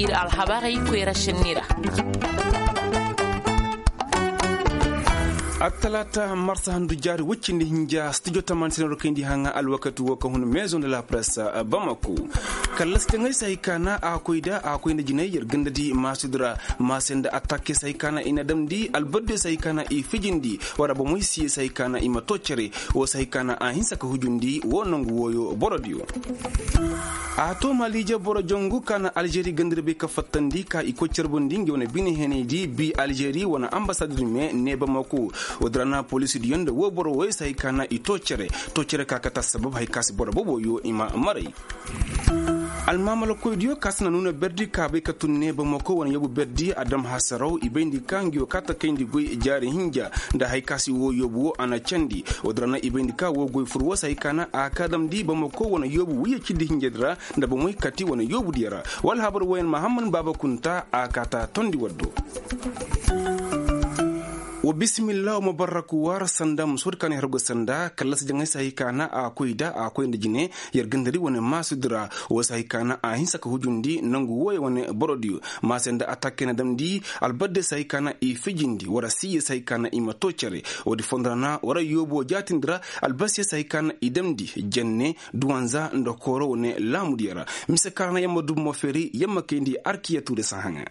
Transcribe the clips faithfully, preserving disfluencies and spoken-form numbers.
Ir alhabarey koyra šenni ra. Attalaata marsa handu jaari woy cindi hinja studio tamaani sinaru kayndi haŋa alwakati wo ka hun maison de la presse bamako. Kallasi jaŋay se hay ka na a koy da a koy nda jinay yer ganda di maasudi ra. Maase nda attakke se hay ka na i na damndi albadde se hay ka na i fijindi wara bomoy siye se hay ka na i ma too cere. Wo se hay ka na a hinsa ka hujundi wo nangu wooyo borodiyo. A to maliije boro jangu ka na alžeri gandira bay ka fattandi ka i koy carbundi ngi wane bine henaydi bi alžeri wane ambasadir me ne bamako. Wodira na polisidi yonda wo boro woy se hay ka na i to cere. To cere ka kata sabab hay ka si boro bobo yo i ma maray. Almamala koydiyo ka si na nuna berdi ka bay ka tun ne bamako wane yobu berdi adam hasaraw i bayndi ka ngi wo ka ta kayndi goy jaari hinja. Nda hay ka si wo yobu wo a na candi. Wodira na i bayndi ka wo goy fur wo se hay ka na a ka damndi bamako wane yobu wiye cindi hinjadi ra. Nda bomoy kati wane yobu diya ra. Wala habar woyan mahamman baaba kunta a ka ta tondi waddo. Wa bisimillah wa mabarrak war sanda musod kan hergo sanda kallasi jaŋay se hay ka na a koy da a koy nda jine. Yer gandari wane maasudi ra wo se hay ka na a hinsa ka hujundi nangu woye wane borodiyo. Maase nda attakke na damndi albadde se hay ka na i fijindi wara siye se hay ka na i ma to cere. Wodi fondora na wara yobo jaatindi ra. Albasiye se hay ka na i damndi jenne duwanza nda kooro wane laamudiyo ra. Mise ka na yamma dubu mo feri yamma kayndi arkiya tuure sahaŋa.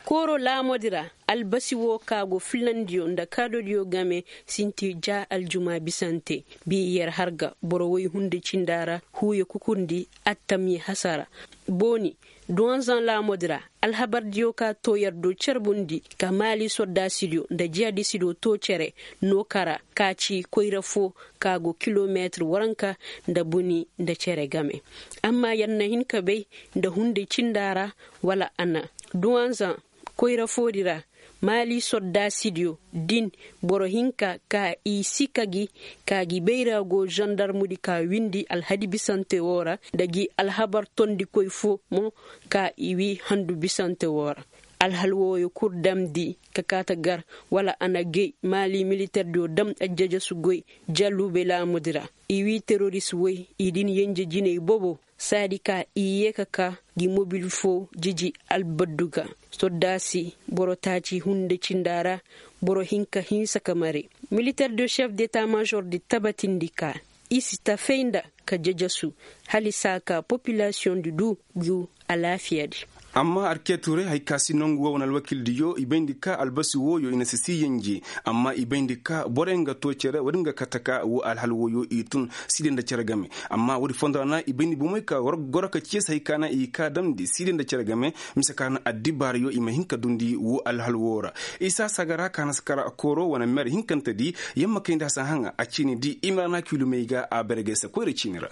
Kooro laamodi ra albasi wo ka go filandiyo nda kaadodiyo game sinti ja aljuma bisante. Bi yer harga boro woy hunde cinda ra huuye kukundi attam ye hasara. Booni duwanzan laamodi ra alhabardiyo ka too yer do carbundi ka maali sordaasidiyo nda jihadisidiyo too cere. No kara ka ci koyra fo ka go kilometir waranka nda buni nda cere game. Amma yer na hin ka bay nda hunde cinda ra wala a na duwanzan koyra foodi ra. Maali sordaasidiyo din boro hinka ka i si ka gi ka gi bayra go zandarmudi ka windi alhadi bisante woo ra nda gi alhabar tondikoy fo mo ka i wi handu bisante woo ra. Alhal wooyo kul damndi ka kaata gar wala a na gay maali militerdiyo dam ajjajasu goy. Jalluube laamudi ra i wi teroris woy i din yenje jinay bobo saadi ka i yee ka ka gi mobil foo jiji albaddu ga. Sordaasi boro taaci hunde cinda ra boro hinka hinsa ka mare. Militer de chef deta major di tabatindi ka i si ta fay nda ka jajasu hala i si a ka popilasiyoŋ di du gu alaafiyadi. Amma arkeeturay hay ka si nongu woo wane alwakildiyo i bayndi ka albasi wooyo i na si sii yenje. Amma i bayndi ka borey nga too cere woodi nga kate ka woo alhal wooyo i tun siide nda cere game. Amma woodi fondo ra na i bayndi bomey ka goro ka ciye se hay ka na i ka damndi siide nda cere game. Mise ka na addibaarayo i ma hin ka dundi woo alhal woo ra. Isa sagara ka na si kara kooro wane mer hinkantedi yamma kayndi hasan haŋa a ciini di i ma ra na kiilumey ga a bergay se koyra ciini ra.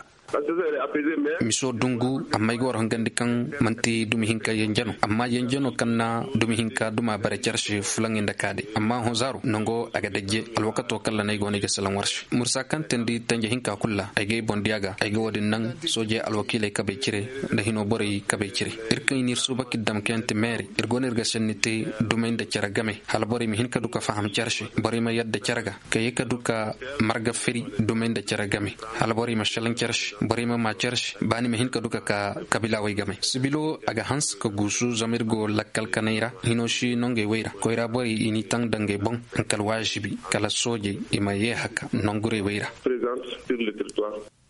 Miso dungu amma ay ga war hangandi kaŋ manti dumi hinka yanjano amma yanjano kaŋ na dumi hinka duma bare care se fulaŋey nda kaadey amma honzaaro nango a ga dajje. Alwakato kaŋ laney go no ay ga salaŋ war se mursa kaŋ teendi tanje hinka kulu ra ay ga ay boŋ diya ga ay ga wo-din naŋ soojey alwakiiley kabey cire nda hino borey kabey cire. Ir kaŋ i n'ir suuba k'i dam kaŋ yaŋ ti meeri ir go no ir ga senni te dumey nda care game hala borey ma hin ka du ka faham care se borey ma yadda care ga ka ye ka du ka marga firi dumey nda care game. Hala borey ma šelaŋ care se borey ma maa care se ba ni ma hin ka du ka ka kabilaawey game sibilo a ga hanse ka guusu zama ir go lakkal kaney ra hino si nongey wey ra koyra borey i n'i taŋ dangey boŋ. Haŋ kal waazibi kala soojey i ma yee haka nongurey wey ra.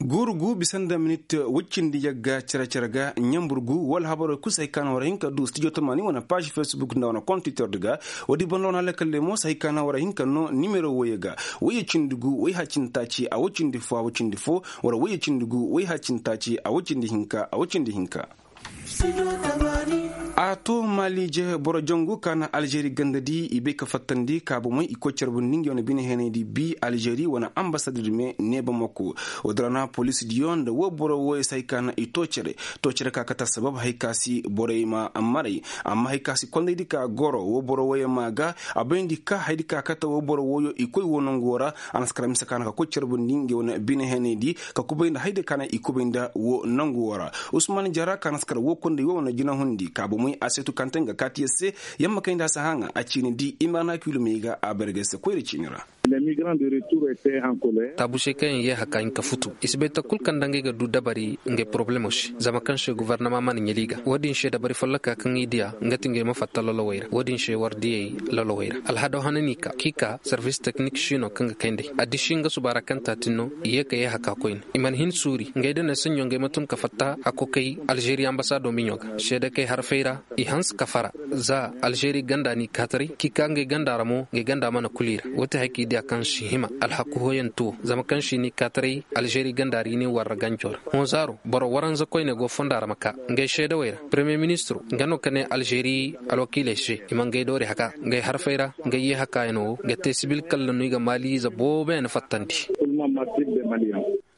Guuru gu bisa nda minit woy cindi yagga cere-cere ga ɲambur gu wala habarey kul se hay ka na war hin ka du studio tamaani wane paazi fesbuk nda wane kontitordi ga. Woodi banda wane alakalley mo se hay ka na war hin ka noo nimero woyey ga woyey cindi gu woy ha cindi taaci a woy cindi fo a woy cindi fo wala woyey cindi gu woy ha cindi taaci a woy cindi hinka a woy cindi hinka. A to maliije boro jangu ka na alžeri gandadi i bay ka fattandi ka bomey i koy carbundi ngi wane bine heenaydi bi alžeri wane ambasador me ne bamako. Woodi ra na polisdiyo nda woo boro wooyo se hay ka na i too cere. Too cere ka kate assabab hay ka si borey ma maray. Amma hay ka si kondaydi ka goro woo boro wooyo maa ga a bayndi ka haydi ka kate woo boro wooyo i koy woo nangu woo ra. A na si kara mise ka na ka koy carbundi ngi wane bine heenaydi ka kubay nda haydi ka na i kubay nda woo nangu woo ra. Usman jara ka na si kara woo konday woo wane jinahundi ka bomey a seetu kante nga kaati yer se. Yamma kayndi a si hã ŋa a ciini di i ma ra na kiilumey ga a bargay se koyra ciini ra. Taabu se kaŋ yaŋ yee haka hinka futu i si bay takul kaŋ nda ngey ga du dabari ngey porobalemo se zama kaŋ se gobornama mana ɲali i ga wo-din se dabari folloka kaŋ i diya nga ti ngey ma fatta lolowey ra wo-din se war diyey lolowey ra alhado hana n'i ka k'i ka servis teknik si no kaŋ ga kayndey addiši nga suba ra kaŋ taatin no i yee ka yee haka koyne i mana hin suuri ngey da ne saɲɲo ngey ma tun ka fatta hakokey alžeri ambasado miɲo ga seedekey harfey ra i hanse ka fara za alžeri ganda n'i kaataray k'i ka ngey ganda ra mo ngey ganda mana kul i ra wo ti haya k'i diya kaŋ si hima alhaku hooyantuwo zama kaŋ si n'i kaataray alžeri ganda ra i ne warra ganco ra hõ zaaro boro waranza koyne go fonda ra ma ka ngey seedawey ra premiye ministiro nga no ka ne alžeri alwakiiley se i ma ngey doori haka ngey harfey ra ngey yee hakaayano wo ga te sibil kalla no i ga maaliize booboyaŋ fattandi.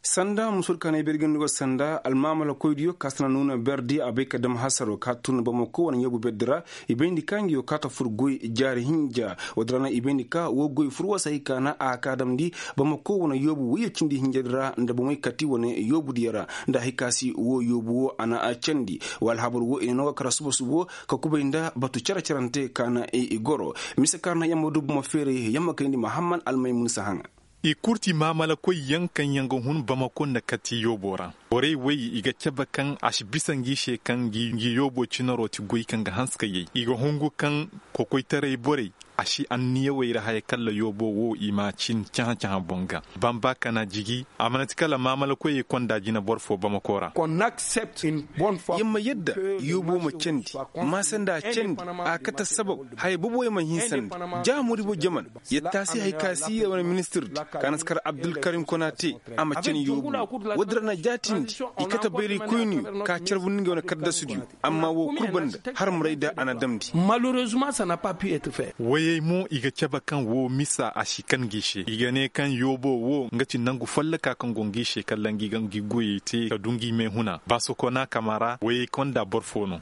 Sanda musul kaŋ ay birgindi go sanda almaamala koydiyo ka sana nuuna berdi a bay ka dam hasaro ka tun bamako wane yoobu berdi ra i bayndi ka ngi yo ka ta fur goy jaari hinja. Woo din ra na i bayndi ka woo goy fur woo se hay ka na a ka damndi bamako wane yoobu woyyo cindi hinja din ra nda bomey kati wane yoobu diyo ra nda hay ka si woo yoobu woo a na a candi. Woo alhabar woo i na no ga kara suba subo ka kubay nda batu cere cerante ka na i goro mise ka na yamma du bomo feeray yamma kayndi mahamman almaymun si haŋa. I kurti maamalakoy yaŋ kaŋ yaŋ ga hun bamako nda kati yoobo ra borey wey i ga cabe kaŋ a si bisa ngi se kaŋ ngi yoobo cinaro ti goy kaŋ ga hanse ka yay i ga hungu kaŋ kokoytaray borey a si anniyawey ra haya kalla yoobo wo i ma cin cahã-cahã boŋ ga. Bamba kana jigi a mana ti kala maamalakoyey konda jina boro fo bamako ra. Yer ma yadda yoobo ma candi maasa nda a candi a kate sabab haya boboyaŋ ma hin sandi. Ja moribo jaman yer taasi hay ka si yer wane ministirdi ka na si kar abdulkarim konate a ma cani yoobu. Woodin ra na jaatindi i kate bayraykoyniyo ka carbundi ngey wane kaddasudiyo. Amma woo kul banda harmarayda a na damndi. Wayey mo i ga cabe kaŋ woo misa a si kan ngi se i ga ne kaŋ yoobo woo nga ti nangu folloka kaŋ go ngi se kala ngi ga ngi goyey te ka du ngi meehuna baasokona kama ra wayey konda boro fo no.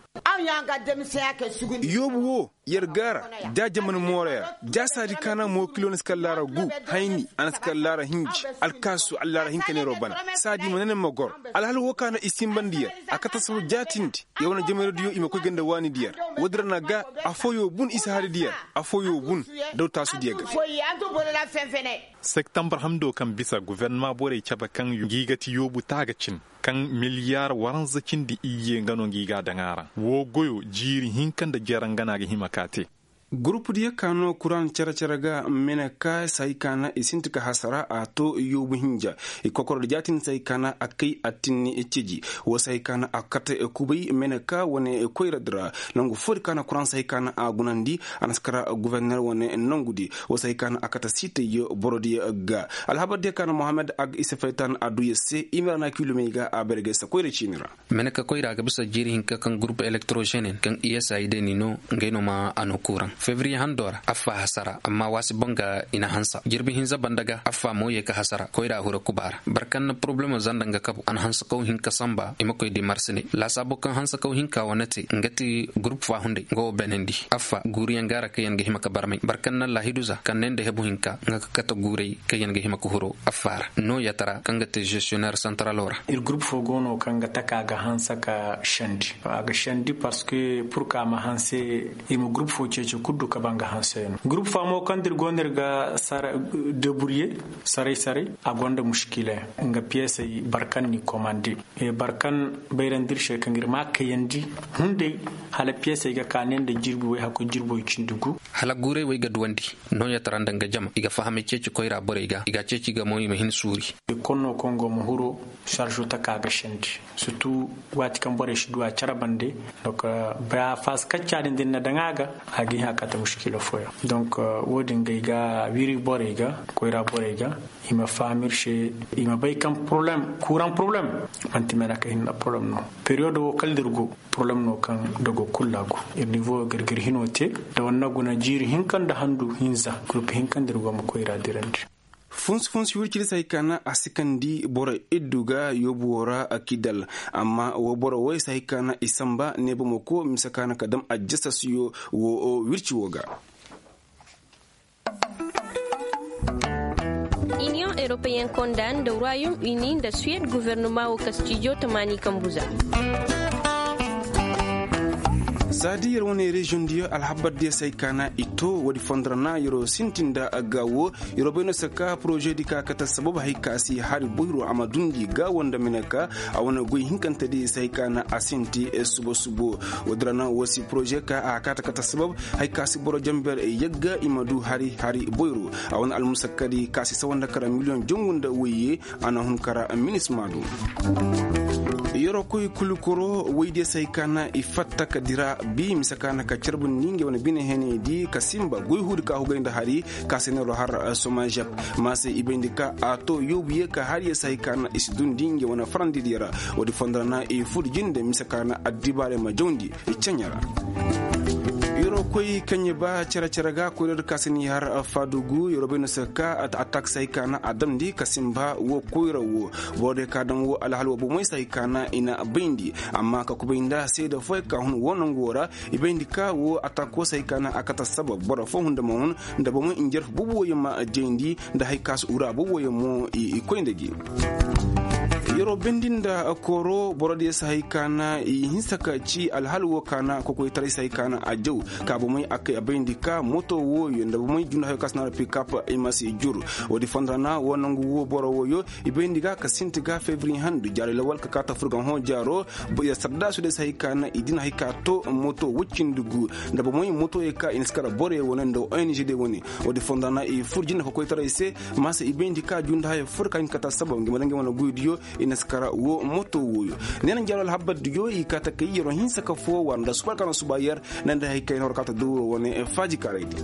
Yoobu woo yer gaara da jaman mooray ra da saadi kaana mo kilo na si kar laara gu hayni a na si kar laara hinji alkaasu allaara hinka neeroo bana. Saadi ma ne ne ma goro alhal woo kaana i sinbandi yer a kate sabu jaatindi. Yer wane jamayra diyo i ma koy ganda waani diyer. Woodin ra na ga afooyoo bun i si hari diyer afooyoo bun daw taasu diyer ga. Septembar hamdo kaŋ bisa guvernama borey cabe kaŋ ngi ga ti yoobu taaga cin kaŋ miliyar waranza cindi iyye nga no ngi ga a daŋ a ra woo goyo jiiri hinka nda jere nga no a ga hima ka te. Gurup diyo ka no kuraŋ cere-cere ga mene ka se hay ka na i sinti ka hasara a to yoobu hinja. I kokoro da jaatin se hay ka na a kay attinni ceji. Woo se hay ka na a kate kubay mene ka wane koyra di ra nangu foo di ka na kuraŋ se hay ka na a gunandi. A na si kara guverner wane nangu di woo se hay ka na a kate siitayyo boro diyo ga. Alhabar diyo ka na mohammed ag isa faytan a du yer se i ma ra na kilomey ga a bare ga ay se koyra ciini ra. Mene ka koyra ga bisa jiiri hinka kaŋ gurup elektrozenin kaŋ i s a i deni no ngey no ma a no kuuraŋ febriye hando ra affa hasara amma waasi boŋ ga i na hansa jirbi hinza banda ga affa mo ye ka hasara koyra hura kuba ra. Boro kaŋ na porobalemo zanda nga kabu a na hansakaw hinka sanba i ma koy di marsine laasaabo kaŋ hansakaw hinka wane te nga ti gurup fa hunday nga wo beenandi affa guuriyaŋ gaara kaŋ yaŋ ga hima ka barmay boro kaŋ na laahidu za kaŋ ne nda hebu hinka nga ga kate guuray kaŋ yaŋ ga hima ka huru affa ra. Nooyatara kaŋ ga te zestiyoner santaralo ra. Ir gurup fo go no kaŋ ga taka ga hanse ka sendi a ga sendi parceque pur ka a ma hanse. Ir ma gurup fo ceeci kul du ka ba nga hanse no gurup fo a mo kaŋ da ir go no ir ga deburye saray saray a gonda muškila yaŋ nga piyesey boro kaŋ n'i komande. Boro kaŋ bayrandi ir se kaŋ ir ma a kayandi hunday hala piyesey ga ka ne nda jirbi way hakkoy jirbi way cindi gu. Hala guuray way ga duwandi. Nooyatara nda nga jama i ga fahamay ceeci koyra borey ga i ga a ceeci ga mo i ma hin suuri. Ikkonno kaŋ go ma huro sarzo taka ga sendi surtu waati kaŋ borey si du a care bande. Donk ba faasi kacca din da ni na daŋ a ga a ga hin a kate muškila fooyaŋ. Donk wo-din ga ay ga wiri borey ga koyra borey ga i ma faham ir se i ma bay kaŋ poroblem kuuraŋ poroblem manti mena ka hinna poroblem no. Periyodo wo kala da ir go poroblem no kaŋ dogo kulu a go ir nivo ga ir ga ir hino te da wanne guna jiiri hinka nda handu hinza gurup hinka nda ir go ma koyra dirandi. Funsi funsi wirciri se hay ka na a sikandi boro iddu ga yoobu wo ra kidal. Amma wo boro woy se hay ka na i samba ne bomoko mise ka na ka dam ajjasasiyo wo wirci wo ga. Iniyoŋ eropeyen konda nda royaume uni nda suwed guvernoma wo ka stijo tamaani kambu za. Za da yer wane reziyoŋ diyo alhabar diyo se hay ka na i to woodi fondo ra na yer'o sintin nda ga wo. Yer'o bay no se ka poroze di ka kate sabab hay ka si hari boyro a ma dundi ga wo nda mine ka a wane goy hinkante di se hay ka na a sinti subo subo. Woodi ra na wo si poroze ka a kaate kate sabab hay ka si boro jamber yagga i ma du hari hari boyro. A wane almusakka di ka si sawa nda kara miliyoŋ jangu nda woyye. A na hun kara minisma du. Yer'o koy kulukoro woy diyo se hay ka na i fatta ka dira bi mise ka na ka carbundi nge wane bine hene di ka simba goy huudi ka hugay nda hari ka se neer'o har somajep. Ma se i bayndi ka a to yoobu ye ka har ye se hay ka na i si dundi nge wane farandi diyo ra. Woodi fondo ra na i fur jinde mise ka na addibaarey ma jawndi i caɲa ra. Yer'o koy kaɲe ba cere cere ga koyra di ka se ni har faadugu yer'o bay no se ka atak se hay ka na a damndi ka simba wo koyra wo. Boro diyo ka daŋ wo alhal wo bomey se hay ka na i na bayndi amma ka kubay nda seeda fooyaŋ ka hun wo nangu wo ra. I bayndi ka wo atak wo se hay ka na a kate sabab boro foo hunda ma hun nda bomey njarfu boobo wooyaŋ ma jayndi nda hay ka si ura boobo wooyaŋ mo i koy nda gi. Yer'o bendi nda kooro boro diyo se hay ka na i hinsa ka ci alhal wo ka na kokoytaray se hay ka na a jaw ka bomey a kay a bayndi ka moto wooyo nda bomey junda hayo ka si naara pikap i ma si jur. Woodi fondo ra na wo nangu wo boro wooyo i bayndi ga ka sinti ga febri handu jaari lawal ka kaata fur ga hõ jaaro. Yer sardaasu diyo se hay ka na i din hay ka to moto woy cindi gu nda bomey motoyey ka i na si kara boroyey wane nda ong diyo wane. Woodi fondo ra na i fur jinde kokoytaray se. Ma se i bayndi ka junda hayo fur ka hin kate sabab ngi ma daŋ ngi wane goydiyo i na si kara wo moto wooyo. Neena njaaro alhabar diyo i kaate kay yer'o hinsa ka foo war nda suba ka na suba yer. Nda nda hay kay na war kaate dowro wane faaji kaaraydi.